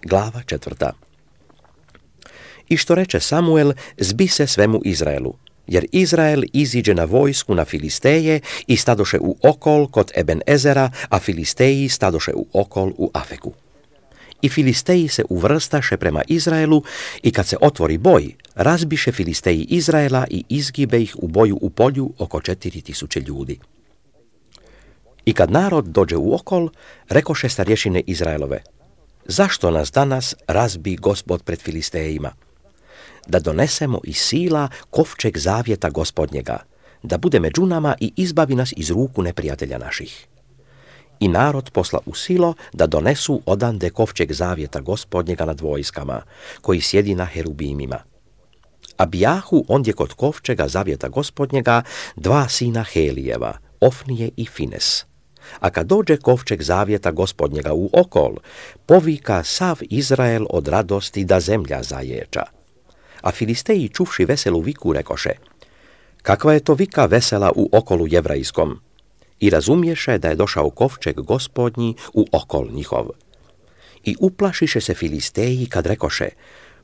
Glava 4. I što reče Samuel, zbi se svemu Izraelu, jer Izrael iziđe na vojsku na Filisteje i stadoše u okol kod Eben-ezera, a Filisteji stadoše u okol u Afeku. I Filisteji se uvrstaše prema Izraelu i kad se otvori boj, razbiše Filisteji Izraela i izgibe ih u boju u polju oko 4000 ljudi. I kad narod dođe u okol, rekoše starješine Izraelove, zašto nas danas razbi Gospod pred Filistejima? Da donesemo iz sila kovčeg zavjeta Gospodnjega, da bude među nama i izbavi nas iz ruku neprijatelja naših. I narod posla u silo da donesu odande kovčeg zavjeta Gospodnjega nad vojskama, koji sjedi na herubimima. A bijahu ondje kod kovčega zavjeta Gospodnjega 2 sina Helijeva, Ofnije i Fines. A kad dođe kovčeg zavjeta Gospodnjega u okol, povika sav Izrael od radosti da zemlja zaječa. A Filisteji čuvši veselu viku rekoše, kakva je to vika vesela u okolu jevrajskom? I razumješe da je došao kovčeg Gospodnji u okol njihov. I uplašiše se Filisteji kad rekoše,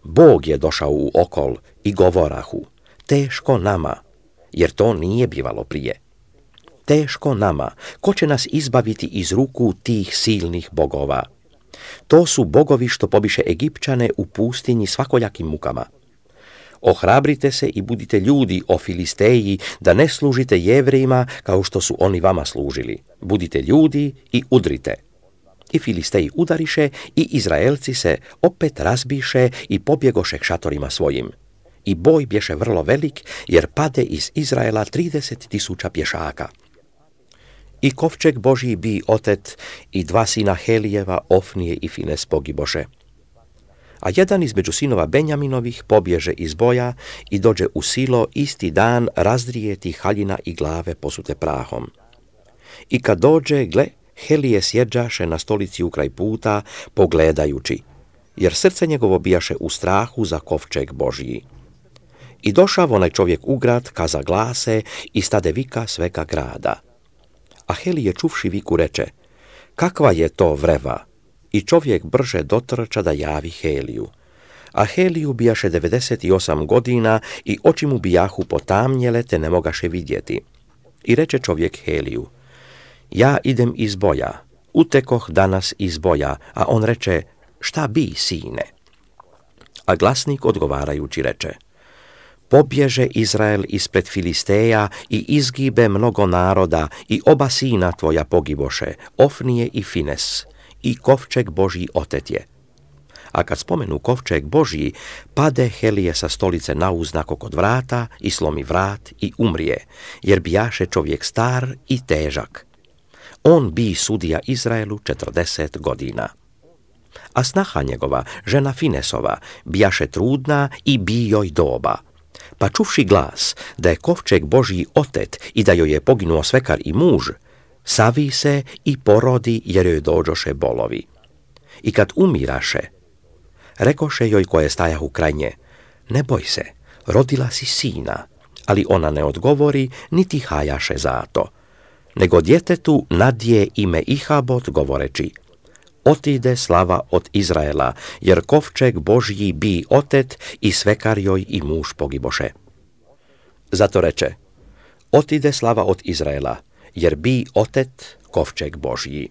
Bog je došao u okol i govorahu, teško nama, jer to nije bivalo prije. Teško nama, ko će nas izbaviti iz ruku tih silnih bogova? To su bogovi što pobiše Egipćane u pustinji svakojakim mukama. Ohrabrite se i budite ljudi, o Filisteji, da ne služite Jevrejima kao što su oni vama služili. Budite ljudi i udrite. I Filisteji udariše i Izraelci se opet razbiše i pobjegoše k šatorima svojim. I boj bješe vrlo velik, jer pade iz Izraela 30.000 pješaka. I kovčeg Božji bi otet i 2 sina Helijeva, Ofnije i Fines pogiboše. A jedan između sinova Benjaminovih pobježe iz boja i dođe u silo isti dan razdrijeti haljina i glave posute prahom. I kad dođe, gle, Helije sjeđaše na stolici ukraj puta, pogledajući, jer srce njegovo bijaše u strahu za kovčeg Božji. I došav onaj čovjek u grad, kaza glase i stade vika svega grada. A Helije čuvši viku reče, kakva je to vreva? I čovjek brže dotrča da javi Heliju. A Heliju bijaše 98 godina i oči mu bijahu potamnjele te ne mogaše vidjeti. I reče čovjek Heliju, ja idem iz boja, utekoh danas iz boja, a on reče, šta bi, sine? A glasnik odgovarajući reče, pobježe Izrael ispred Filisteja i izgibe mnogo naroda i oba sina tvoja pogiboše, Ofnije i Fines, i kovčeg Božji otet je. A kad spomenu kovčeg Božji, pade Helije sa stolice nauznako kod vrata i slomi vrat i umrije, jer bijaše čovjek star i težak. On bi sudija Izraelu 40 godina. A snaha njegova, žena Finesova, bijaše trudna i bi joj doba. Pa čuvši glas da je kovčeg Božji otet i da joj je poginuo svekar i muž, savi se i porodi jer joj dođoše bolovi. I kad umiraše, rekoše joj koje stajahu kraj nje, ne boj se, rodila si sina, ali ona ne odgovori niti hajaše za to, nego djetetu nadje ime Ihabot govoreći, otide slava od Izraela, jer kovčeg Božji bi otet i svekar joj i muž pogiboše. Zato reče, otide slava od Izraela, jer bi otet kovčeg Božji.